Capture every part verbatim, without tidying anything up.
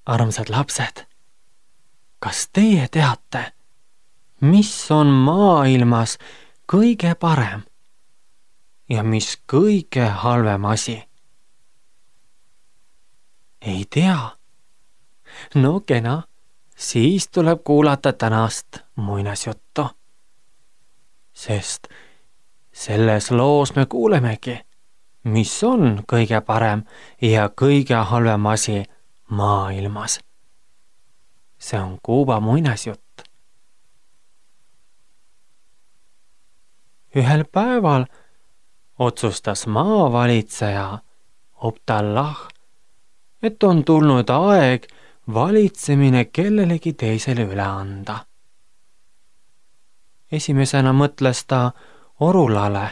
Armsad lapsed, kas teie teate, mis on maailmas kõige parem ja mis kõige halvem asi? Ei tea? No kena, siis tuleb kuulata tänast muinasjuttu. Sest selles loos me kuulemegi, mis on kõige parem ja kõige halvem asi maailmas. See on Kuuba muinasjutt. Ühel päeval otsustas maavalitseja Optallah, et on tulnud aeg valitsemine kellelegi teisele üle anda. Esimesena mõtles ta Orulale,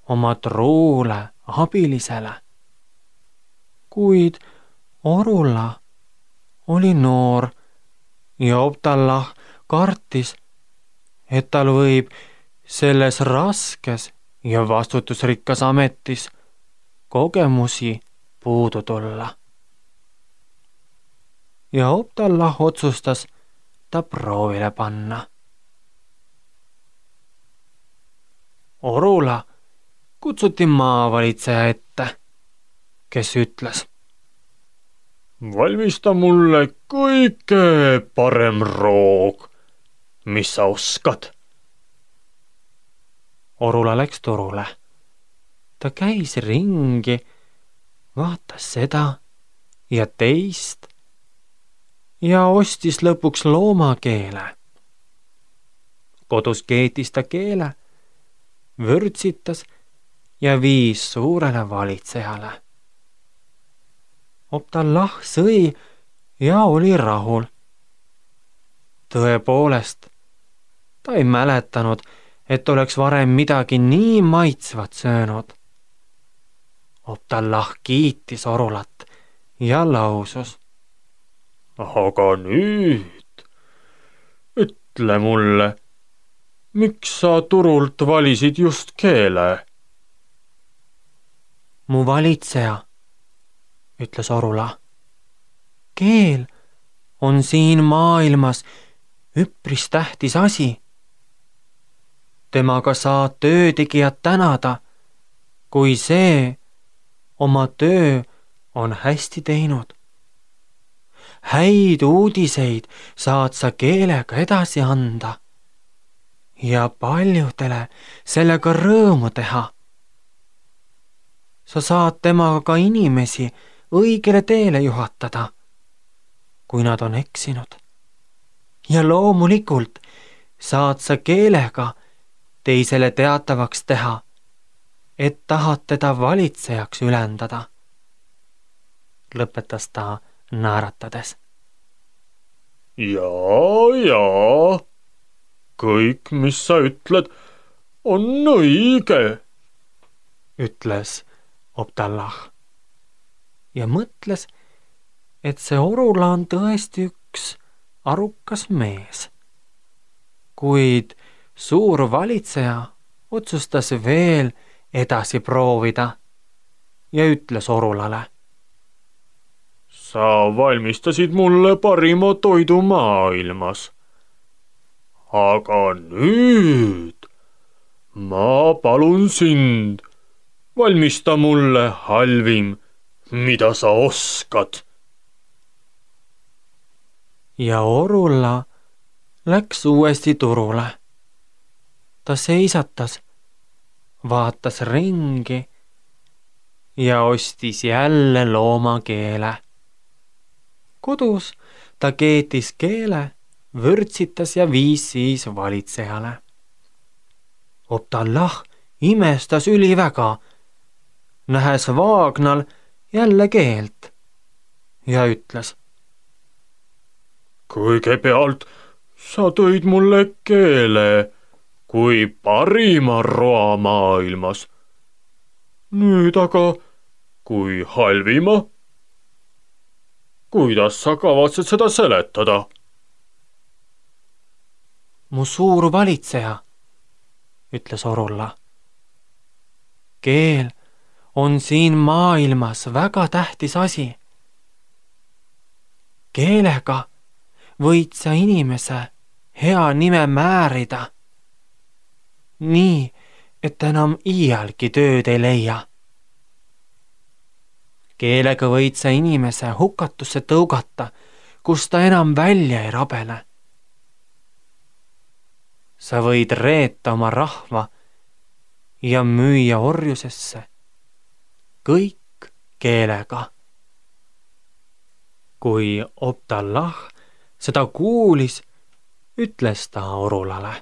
oma truule abilisele. Kuid Orula oli noor ja Optallah kartis, et tal võib selles raskes ja vastutusrikkas ametis kogemusi puudu tulla. Ja Optallah otsustas ta proovile panna. Orula kutsuti maavalitseja ette, kes ütles: valmista mulle kõige parem roog, mis sa oskad. Orula läks turule. Ta käis ringi, vaatas seda ja teist ja ostis lõpuks loomakeele. Kodus keetis ta keele, vürtsitas ja viis suurele valitsejale. Optallah sõi ja oli rahul. Tõepoolest, ta ei mäletanud, et oleks varem midagi nii maitsvat söönud. Optallah kiitis Orulat ja lausus: aga nüüd ütle mulle, miks sa turult valisid just keele? Mu valitseja, ütles Orula, keel on siin maailmas üpris tähtis asi. Temaga saad töötegijat tänada, kui see oma töö on hästi teinud. Häid uudiseid saad sa keelega edasi anda ja paljudele sellega rõõmu teha. Sa saad temaga ka inimesi õigele teele juhatada, kui nad on eksinud. Ja loomulikult saad sa keelega teisele teatavaks teha, et tahad teda valitsejaks ülendada. Lõpetas ta naeratades. Jaa, jaa, kõik, mis sa ütled, on õige, ütles Optallah ja mõtles, et see Orula on tõesti üks arukas mees. Kuid suur valitseja otsustas veel edasi proovida ja ütles Orulale: sa valmistasid mulle parima toidu maailmas. Aga nüüd ma palun sind, valmista mulle halvim, mida sa oskad. Ja Orula läks uuesti turule. Ta seisatas, vaatas ringi ja ostis jälle loomakeele. Kodus ta keetis keele, vürtsitas ja viis siis valitsejale. Optallah imestas üliväga, nähes vaagnal jälle keelt ja ütles: kõigepealt sa tõid mulle keele kui parima roa maailmas. Nüüd aga kui halvima. Kuidas sa kavatsed seda seletada? Mu suur valitseja, ütles Orula. Keel on siin maailmas väga tähtis asi. keelega võid sa inimese hea nime määrida, nii, et enam iialgi tööd ei leia. Keelega võid sa inimese hukatusse tõugata, kus ta enam välja ei rabele. Sa võid reeta oma rahva ja müüa orjusesse, kõik keelega. Kui Obdallah seda kuulis, ütles ta orulale.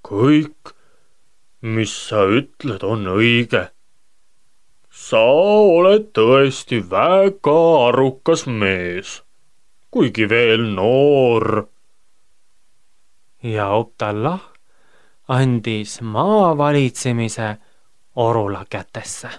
Kõik, mis sa ütled, on õige. Sa oled tõesti väga arukas mees, kuigi veel noor. Ja Obdallah andis maa valitsemise orula kätesse.